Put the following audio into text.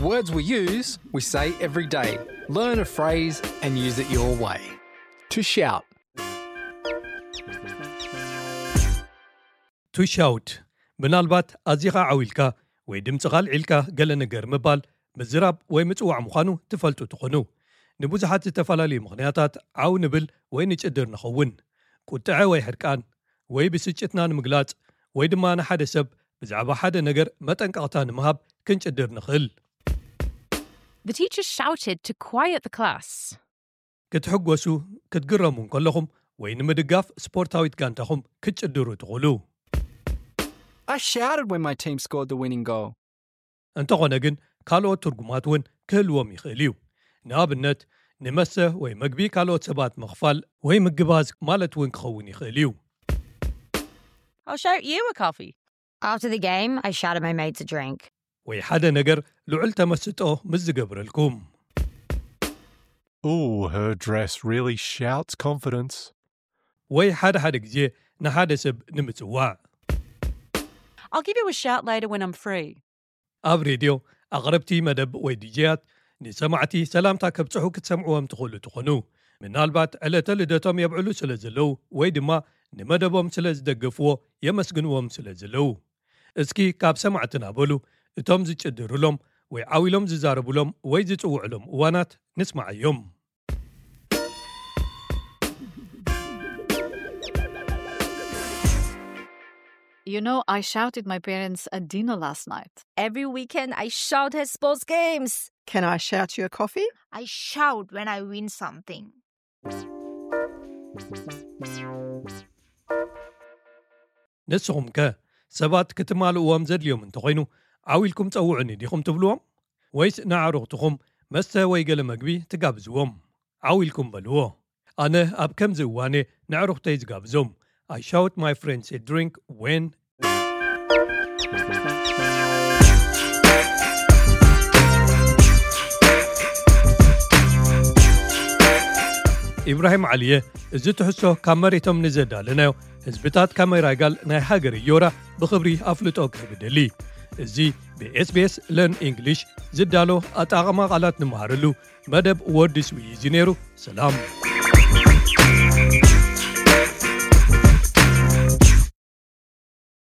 Words we use, we say every day. Learn a phrase and use it your way. To shout. To shout ምናልባት ኣዚኻ ዓው ኢልካ ወይ ድምፅኻ ኣልዒልካ ገለ ነገር ምባል ምዝራብ ወይ ምፅዋዕ ምዃኑ ትፈልጡ ትኾኑ። ንብዙሓት ዝተፈላለዩ ምኽንያታት ዓው ንብል ወይ ንጭድር ንኸውን። ቁጥዐ ወይ ሕርቃን ወይ ብስጭትና ንምግላፅ ወይ ድማ ንሓደ ሰብ ብዛዕባ ሓደ ነገር መጠንቀቕታ ንምሃብ ክንጭድር ንኽእል። The teacher shouted to quiet the class. ክትሕጎሱ ክትግረሙ እንከለኹም ወይ ንምድጋፍ ስፖርታዊት ጋንታኹም ክትጭድሩ ትኽእሉ። I shouted when my team scored the winning goal. እንተኾነ ግን ካልኦት ትርጉማት እውን ክህልዎም ይኽእል እዩ። ንኣብነት ንመስተ ወይ መግቢ ካልኦት ሰባት ምኽፋል ወይ ምግባዝ ማለት እውን ክኸውን ይኽእል እዩ። I'll shout you a coffee. After the game, I shouted my mates a drink. ወይ ሓደ ነገር ልዑል ተመስጦ ምስ ዝገብረልኩም። Ooh, her dress really shouts confidence. ወይ ሓደ ሓደ ግዜ ንሓደ ሰብ ንምጽዋዕ። I'll give you a shout later when I'm free. ኣብ ሬድዮ ኣቕረብቲ መደብ ወይ ዲጄያት ንሰማዕቲ ሰላምታ ከብጽሑ ክትሰምዕዎም ትኽእሉ ትኾኑ። ምናልባት ዕለተ ልደቶም የብዕሉ ስለ ዘለዉ ወይ ድማ ንመደቦም ስለ ዝደገፍዎ የመስግንዎም ስለ ዘለዉ። እስኪ ካብ ሰማዕትና በሉ እቶም ዝጭድሩሎም ወይ ዓው ኢሎም ዝዛረቡሎም ወይ ዝጽውዕሎም እዋናት ንስማዓዮም። You know, I shouted my parents at dinner last night. Every weekend I shout at sports games. Can I shout you a coffee? I shout when I win something. ንስኹም ከ ሰባት ክትማልእዎም ዘድልዮም እንተኾይኑ ዓው ኢልኩም ጸውዑኒ ዲኹም ትብልዎም? ወይስ ንኣዕሩኽትኹም መስተ ወይ ገለ መግቢ ትጋብዝዎም? ዓው ኢልኩም በልዎ። ኣነ ኣብ ከምዚ እዋን እየ ንኣዕሩኽተይ ዝጋብዞም። I shout my friends a drink when ኢብራሂም ዓሊየ፣ እዚ ትሕዝቶ ካብ መሬቶም ንዘዳለናዮ ህዝብታት ካሜራይጋል ናይ ሃገር እዮራ ብኽብሪ ኣፍልጦ ክህብ እደሊ። እዚ ብ SBS Learn English ዝዳሎ ኣጠቓቕማ ቃላት ንመሃረሉ መደብ ወርድስ ውይይት እዩ ነይሩ። ሰላም።